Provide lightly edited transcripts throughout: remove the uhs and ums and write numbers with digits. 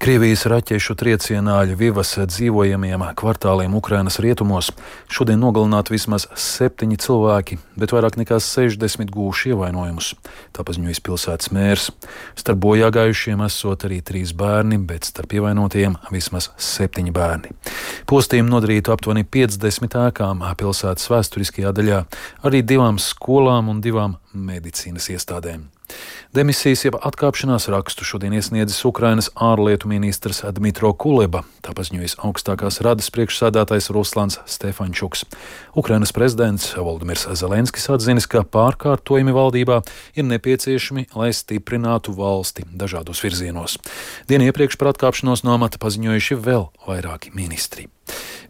Krievijas raķešu triecienā Ļvivas dzīvojamiem kvartāliem Ukrainas rietumos šodien nogalināti vismaz 7 cilvēki, bet vairāk nekā 60 guvuši ievainojumus. Tā paziņoja pilsētas mērs. Starp bojāgājušiem esot arī 3 bērni, bet starp ievainotajiem vismaz 7 bērni. Postījumi nodarīti aptuveni 50 ēkām pilsētas vēsturiskajā daļā, arī 2 skolām un 2 medicīnas iestādēm. Demisijas jeb atkāpšanās rakstu šodien iesniedzis Ukrainas ārlietu ministrs Dmitro Kuleba, tā paziņojis augstākās radas priekšsēdētājs Ruslans Stefančuks. Ukrainas prezidents Volodimirs Zelenskis atzinis, ka pārkārtojumi valdībā ir nepieciešami, lai stiprinātu valsti dažādos virzienos. Dienu iepriekš par atkāpšanos no amata paziņojuši vēl vairāki ministri.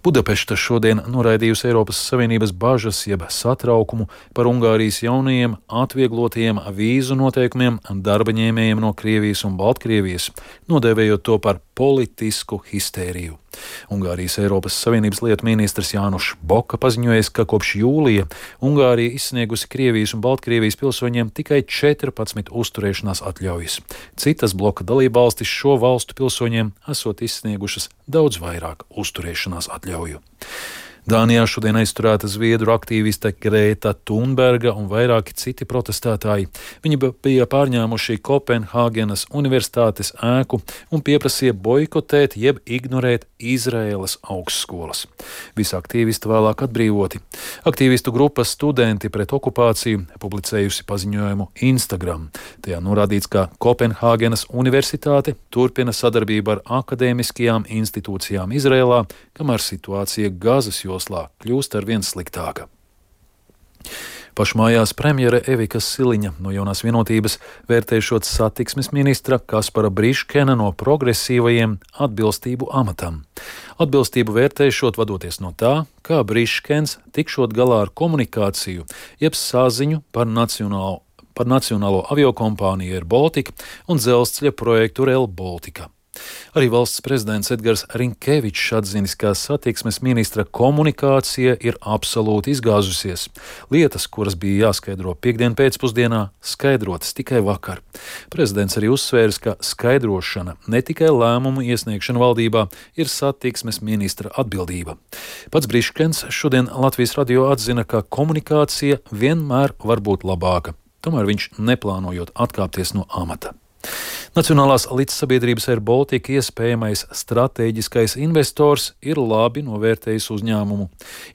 Budapešta šodien noraidījusi Eiropas Savienības bažas jeb satraukumu par Ungārijas jaunajiem atvieglotajiem vīzu noteikumiem darba ņēmējiem no Krievijas un Baltkrievijas, nodēvējot to par politisku histēriju. Ungārijas Eiropas Savienības lietu ministrs Jānušs Boka paziņojis, ka kopš jūlija Ungārija izsniegusi Krievijas un Baltkrievijas pilsoņiem tikai 14 uzturēšanās atļaujas. Citas bloka dalībvalstis šo valstu pilsoņiem esot izsniegušas daudz vairāk uzturēšanās atļauju. Dānijā šodien aizturēta zviedru aktīviste Grēta Thunberga un vairāki citi protestētāji. Viņi bija pārņēmuši Kopenhāgenas universitātes ēku un pieprasīja boikotēt jeb ignorēt Izraēlas augstskolas. Visi aktīvisti vēlāk atbrīvoti. Aktīvistu grupa Studenti pret okupāciju publicējusi paziņojumu Instagram. Tajā norādīts, ka Kopenhāgenas universitāte turpina sadarbību ar akadēmiskajām institūcijām Izrēlā, kamēr situācija Gazas joslā kļūst arvien sliktāka. Pašmājās premjere Evika Siliņa no Jaunās vienotības vērtēšot satiksmes ministra Kaspara Briškena no progresīvajiem atbilstību amatam. Atbilstību vērtēšot vadoties no tā, kā Briškens tikšot galā ar komunikāciju, jeb saziņu par nacionālo aviokompāniju Air Baltica un dzelzceļa projektu Rail Baltica. Arī valsts prezidents Edgars Rinkevičs atzinis, ka satiksmes ministra komunikācija ir absolūti izgāzusies. Lietas, kuras bija jāskaidro piekdien pēcpusdienā, skaidrotas tikai vakar. Prezidents arī uzsvērs, ka skaidrošana, ne tikai lēmumu iesniegšana valdībā, ir satiksmes ministra atbildība. Pats Briškens šodien Latvijas radio atzina, ka komunikācija vienmēr var būt labāka. Tomēr viņš neplānojot atkāpties no amata. Nacionālās līdzsabiedrības Air Baltica iespējamais stratēģiskais investors ir labi novērtējis uzņēmumu.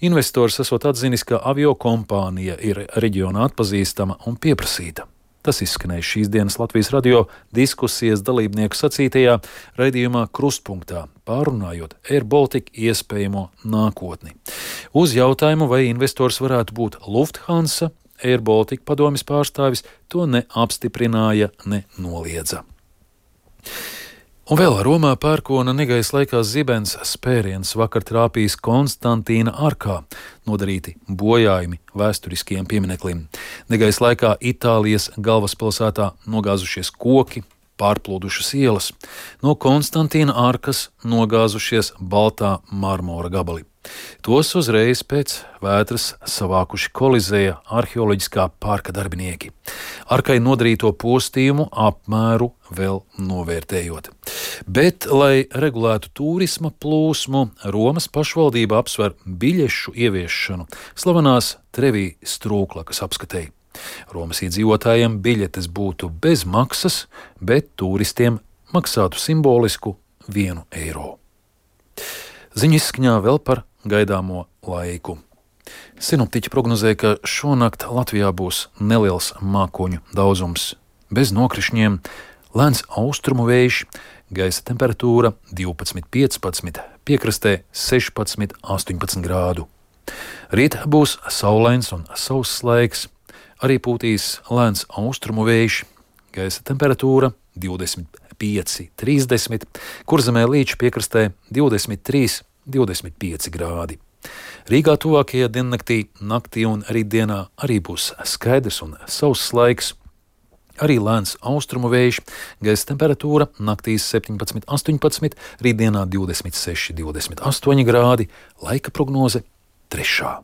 Investors esot atzinis, ka aviokompānija ir reģionā atpazīstama un pieprasīta. Tas izskanēja šīs dienas Latvijas radio diskusijas dalībnieku sacītajā raidījumā Krustpunktā, pārunājot Air Baltica iespējamo nākotni. Uz jautājumu, vai investors varētu būt Lufthansa, Air Baltica padomjas pārstāvis to ne apstiprināja, ne noliedza. Un vēl Romā pērkona negaisa laikā zibens spēriens vakar trāpījis Konstantīna arkā, nodarīti bojājumi vēsturiskiem piemineklim. Negaisa laikā Itālijas galvaspilsētā nogāzušies koki, pārplūdušas ielas. No Konstantīna arkas nogāzušies baltā marmora gabali. Tos uzreiz pēc vētras savākuši Kolizēja arheoloģiskā parka darbinieki. Arkai nodarīto postījumu apmēru vēl novērtējot. Bet, lai regulētu turisma plūsmu, Romas pašvaldība apsver biļešu ieviešanu slavenās Trevi strūklakas apskatei. Romas iedzīvotājiem biļetes būtu bez maksas, bet turistiem maksātu simbolisku 1 eiro. Ziņu izskaņā vēl par gaidāmo laiku. Sinoptiķi prognozē, ka šonakt Latvijā būs neliels mākoņu daudzums, bez nokrišņiem, lēns austrumu vējš, gaisa temperatūra 12–15, piekrastē 16–18 grādu. Rīt būs saulains un sauss laiks, arī pūtīs lēns austrumu vējš, gaisa temperatūra 25–30, Kurzemē līča piekrastē 23–25 grādi. Rīgā tuvākajā diennaktī, naktī un rītdienā arī būs skaidrs un sauss laiks, arī lēns austrumu vējš, gaisa temperatūra naktīs 17–18, rītdienā 26–28 grādi, laika prognoze 3.